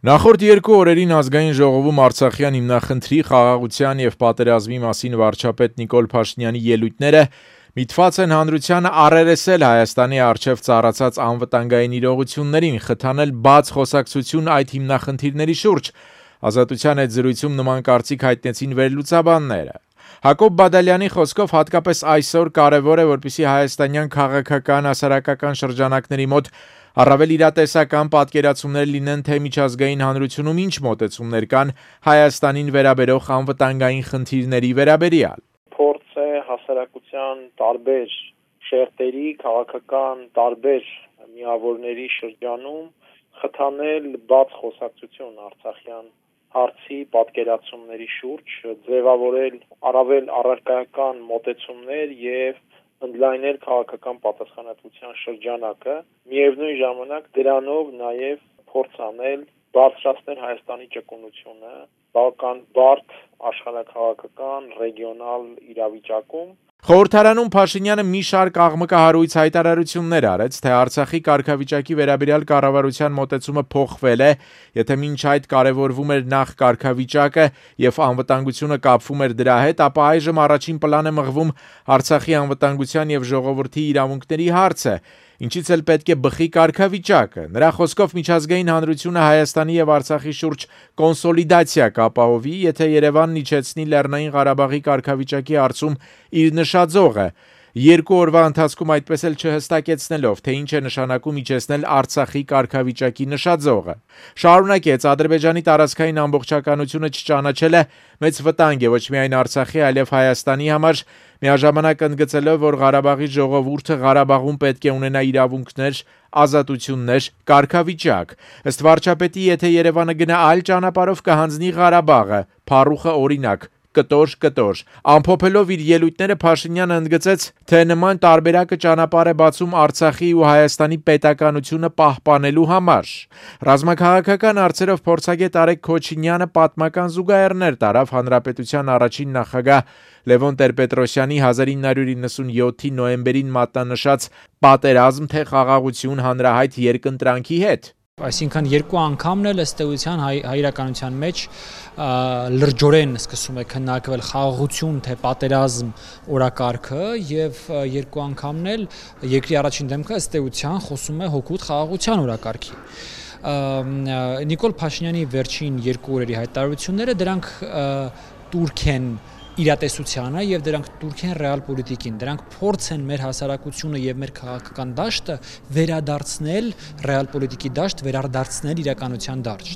Նախորդ երկու օրերին ազգային ժողովում Արցախյան հիմնախնդրի, խաղաղության և պատերազմի մասին վարչապետ Նիկոլ Փաշինյանի ելույթները միտված են հանրությանը առերեսել Հայաստանի առջև ծառացած անվտանգային իրողություններին, խթանել բաց խոսակցություն այդ հիմնախնդիրների շուրջ։ Ազատության հետ զրույցում նման կարծիք հայտնեցին վերլուծաբանները։ Հակոբ Բադալյանի խոսքով հատկապես այսօր կարևոր է, որպեսզի հայաստանյան քաղաքական, հասարակական շրջանակների մոտ առավել իրատեսական պատկերացումներ լինեն, թե միջազգային հանրությունում ինչ մոտեցումներ կան Հայաստանին վերաբերող անվտանգային խնդիրների վերաբերյալ։ Փորձ է հասարակության տարբեր շերտերի, քաղաքական տարբեր միավորների շրջանում խթանել բաց խոսակցություն Արցախյան հարցի պատկերացումների շուրջ, ձևավորել առավել առարկայական մոտեցումներ եւ ընդլայնել քաղաքական պատասխանատվության շրջանակը, միևնույն ժամանակ դրանով նաեւ փորձ անել բարձրացնել Հայաստանի ճկունությունը բավական բարդ աշխարհաքաղաքական ռեգիոնալ իրավիճակում։ Խորհրդարանում Փաշինյանը մի շարք աղմկահարույց հայտարարություններ արեց, թե Արցախի կարգավիճակի վերաբերյալ կառավարության մոտեցումը փոխվել է, եթե մինչ այդ կարևորվում էր նախ կարգավիճակը եւ անվտանգությունը կապվում էր դրա հետ, ապա այժմ առաջին պլան է մղվում Արցախի անվտանգության եւ ժողովրդի իրավունքների հարցը, ինչից էլ պետք է բխի կարգավիճակը։ Նրա խոսքով միջազգային հանրությունը Հայաստանի եւ Արցախի շուրջ կոնսոլիդացիա կապահովի, եթե Երևանն իջեցնի Լեռնային Ղարաբաղի կարգավիճակի հարցում իր նշաձողը, երկու օրվա ընթացքում այդպես էլ չհստակեցնելով, թե ինչ է նշանակում իջեցնել Արցախի կարգավիճակի նշաձողը։ Շարունակեց, Ադրբեջանի տարածքային ամբողջականությունը չճանաչելը մեծ վտանգ է ոչ միայն Արցախի, այլև Հայաստանի համար, միաժամանակ ընդգծելով, որ Ղարաբաղի ժողովուրդը Ղարաբաղում պետք է ունենա իրավունքներ, ազատություններ, կարգավիճակ։ Ըստ վարչապետի, եթե Երևանը գնա այլ ճանապարհով կհանձնի Ղարաբաղը, փառուխը օրինակ, կտոր։ Ամփոփելով իր ելույթները Փաշինյանը ընդգծեց, թե նման տարբերակը ճանապարհ է բացում Արցախի ու Հայաստանի պետականությունը պահպանելու համար։ Ռազմաքաղաքական հարցերով փորձագետ Արեգ Քոչինյանը պատմական զուգահեռներ տարավ Հանրապետության առաջին նախագահ Լևոն Տեր-Պետրոսյանի 1997-ի նոյեմբերին մատնանշած «Պատերազմ թե խաղաղություն» հանրահայտ երկընտրանքի հետ։ Այսինքն երկու անգամն էլ ըստ էության հայրականության մեջ լրջորեն սկսում է քննարկվել խաղաղություն թե պատերազմ օրակարգը եւ երկու անգամն էլ երկրի առաջին դեմքը ըստ էության խոսում է հօգուտ խաղաղության օրակարգի։ Նիկոլ Փաշինյանի վերջին երկու օրերի հայտարարությունները դրանք տուրք են իրատեսությանը եւ դրանք տուրք են ռեալ պոլիտիկին, դրանք փորձ են մեր հասարակությունը եւ մեր քաղաքական դաշտը վերադարձնել ռեալ պոլիտիկի դաշտ, վերադարձնել իրականության դաշտ։